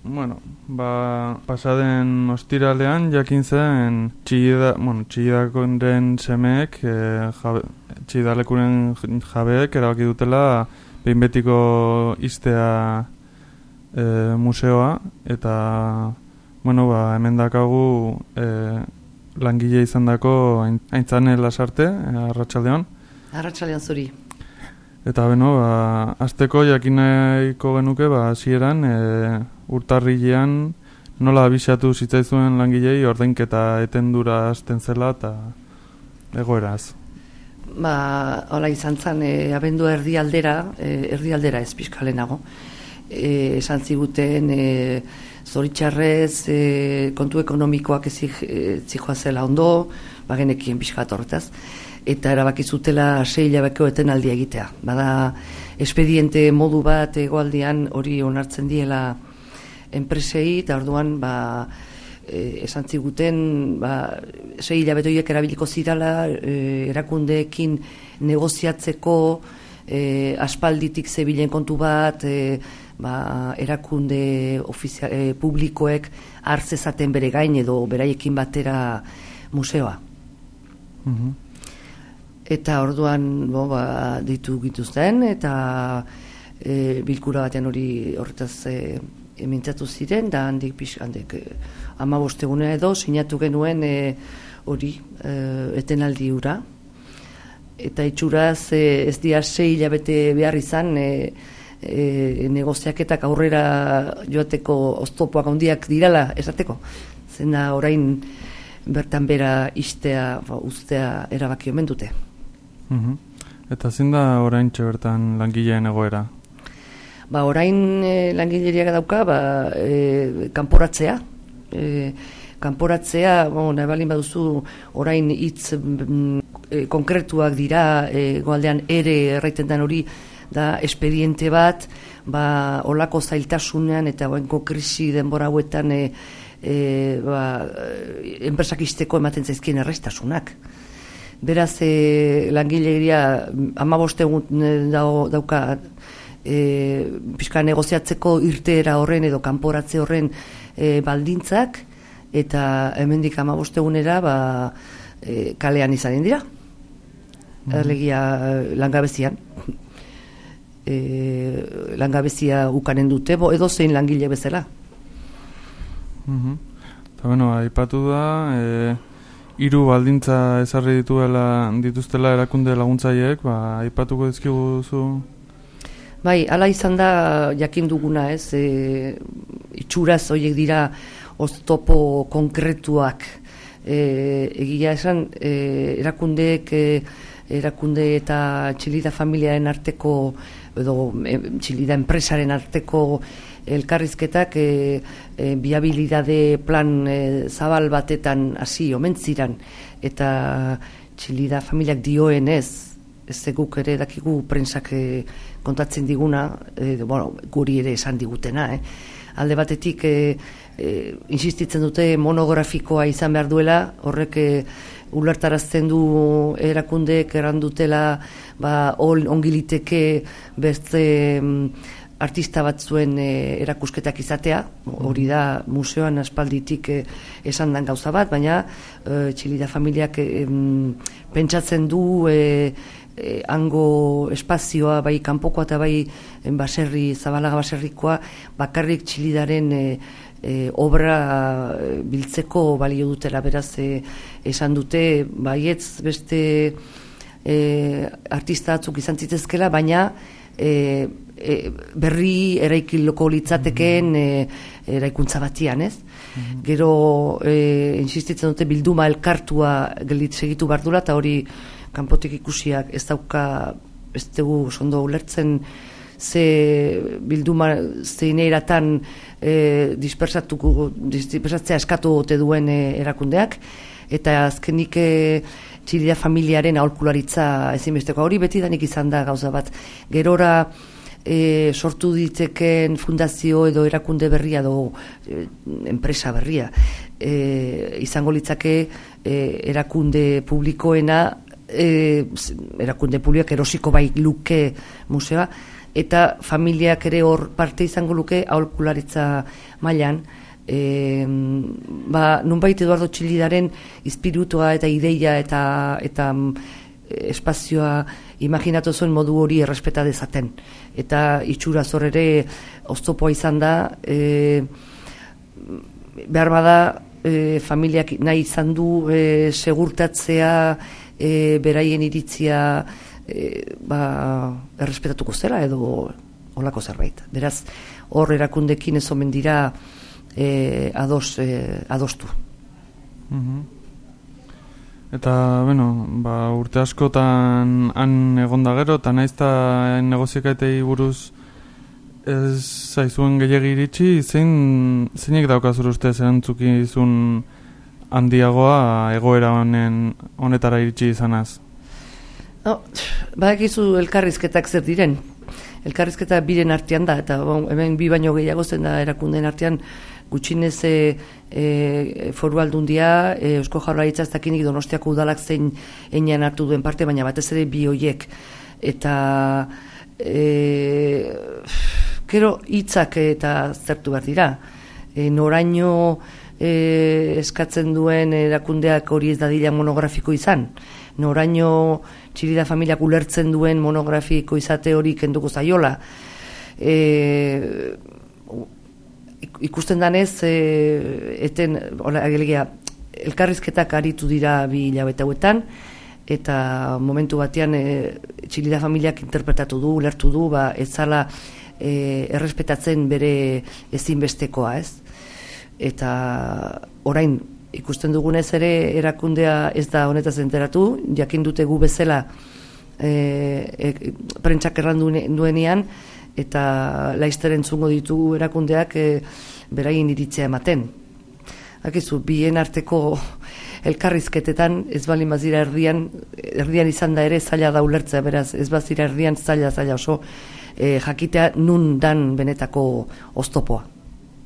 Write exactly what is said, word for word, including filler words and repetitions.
bueno, ba, pasaden ostiralean jakin zen txillida, bueno, txillidakoren semeek, e, jabe, txillidalekuren jabeek erabaki dutela behin betiko iztea e, museoa, eta bueno, ba, hemen dakagu e, langile izan dako Aintzane Lasarte, arratsaldeon. Arratsaldeon zuri. Eta beno, ba, azteko jakinaiko genuke, ba, hasieran e, urtarrilean nola abisatu zitzaizuen langilei ordainketa etendura hasten zela eta egoeraz. Ba, hola izan zen, e, abendu erdialdera, e, erdialdera ez pixkalenago. E, esan ziguten e, zoritxarrez e, kontu ekonomikoak ez zijoa zela ondo, bagenekien pixkat horretaz, eta erabaki zutela sei hilabeko etenaldia egitea. Bada espediente modu bat egoaldean hori onartzen diela enpresei, eta orduan ba, e, esan ziguten ba, sei hilabete horiek erabiliko zirala e, erakundeekin negoziatzeko e, aspalditik zebilen kontu bat, e, ba, erakunde ofizia, e, publikoek hartzezaten bere gain edo beraiekin batera museoa. Mhm. Eta orduan bo, ba, ditu gituzten, eta e, bilkura batean hori horretaz e, mintzatu ziren, da handik pixka, handik e, hamabost egunera edo sinatu genuen e, hori e, etenaldi hura. Eta itxuraz e, ez dia sei hilabete behar izan e, e, negoziaketak aurrera joateko oztopoak handiak dirala esateko. Zena orain bertan bera istea, ba, ustea erabaki omen dute. Mhm. Eta zein da oraintxe bertan langileen egoera? Ba, orain e, langileriak dauka, ba, e, kanporatzea. E, kanporatzea, bon, nahi balin baduzu, orain hitz e, konkretuak dira, e, goaldean ere erraiten den hori, da espediente bat, ba, olako zailtasunean eta oenko krisi denbora hauetan e, e, ba, enpresak izteko ematen zaizkien errestasunak. Beraz, e, langileria hamabost egun dauka e, pixka negoziatzeko irteera horren edo kanporatze horren e, baldintzak, eta hemendik hamabost egunera ba, e, kalean izanen dira. Mm. Erlegia langabezian. E, langabezia ukanen dute, bo, edo zein langile bezala. Mhm. Eta bueno, aipatu da... E... Hiru baldintza ezarri dituela dituztela erakunde laguntzaileek, ba, aipatuko dizkiguzu? Bai, hala izan da jakin duguna, ez, e, itxuraz horiek dira oztopo konkretuak. E, egia esan, e, erakundeek, e, erakunde eta Txillida familiaren arteko, edo e, Txillida enpresaren arteko elkarrizketak e, e, biabilidade plan e, zabal batetan hasi omen ziran, eta Txillida familiak dioen ez, ez guk ere dakigu prentsak e, kontatzen diguna, e, bueno, guri ere esan digutena, eh? Alde batetik e, e, insistitzen dute monografikoa izan behar duela, horrek e, ulertarazten du erakundeek errandutela ba, ongiliteke beste artista batzuen e, erakusketak izatea, hori da museoan aspalditik e, esan dan gauza bat, baina e, Txillida familiak e, pentsatzen du e, e, hango espazioa, bai kanpokoa eta bai baserri, Zabalaga baserrikoa, bakarrik Txillidaren e, e, obra biltzeko balio dutela, beraz e, esan dute, baietz beste e, artista batzuk izan zitezkela, baina e, E, berri eraikiloko litzatekeen e, eraikuntza batian, ez? Mm-hmm. Gero e, insistitzen dute bilduma elkartua gelit segitu bardula, eta hori kanpotik ikusiak ez dauka, ez dugu sondo ulertzen ze bilduma zeineiratan e, dispersatuko, dispersatzea eskatu ote duen e, erakundeak, eta azkenik e, Txillida familiaren aholkularitza ezinbesteko hori beti danik izan da gauza bat. Gerora E, sortu diteken fundazio edo erakunde berria edo e, enpresa berria e, izango litzake e, erakunde publikoena e, erakunde publikoak erosiko bai luke museoa eta familiak ere hor parte izango luke aholkularitza mailan. E, ba, nunbait Eduardo Txillidaren ispiritua eta ideia eta, eta espazioa imaginatu zuen modu hori errespeta dezaten. Eta itxura zor ere oztopoa izan da, e, behar bada e, familiak nahi izan du e, segurtatzea e, beraien iritzia e, ba, errespetatuko zera edo olako zerbait. Beraz, hor erakundekin ez omen dira e, ados, e, adostu. Mm-hmm. Eta, bueno, ba, urte askotan han egonda gero, eta naizta negoziaketei buruz ez zaizuen gehiagi iritsi, zein, zeinek daukazur ustez erantzukizun handiagoa egoera honen honetara iritsi izanaz? No, badakizu elkarrizketak zer diren. Elkarrizketa biren artean da, eta bon, hemen bi baino gehiago zen da erakundeen artean gutxinez e, e, foru aldundia, e, Eusko Jaurlaritza ez dakinik Donostiako udalak zein enean hartu duen parte, baina batez ere bi hoiek. Eta e, kero hitzak eta zertu behar dira. E, noraino e, eskatzen duen erakundeak hori ez dadila monografiko izan. Noraino Txillida familiak ulertzen duen monografiko izate hori kenduko zaiola. E, ikusten danez, e, eten, hola, agelegia, elkarrizketak aritu dira bi hilabete hauetan, eta momentu batean e, Txillida familiak interpretatu du, ulertu du, ba, ez zala e, errespetatzen bere ezinbestekoa, ez? Eta orain, ikusten dugunez ere erakundea ez da honetaz enteratu, jakin dute gu bezala e, e, prentsak errandu duenean, eta laizter entzungo ditu erakundeak e, beraien iritzea ematen. Akizu, bien arteko elkarrizketetan ez balin bazira erdian, erdian izan da ere zaila da ulertzea, beraz ez bazira erdian zaila zaila oso e, jakitea nun dan benetako oztopoa.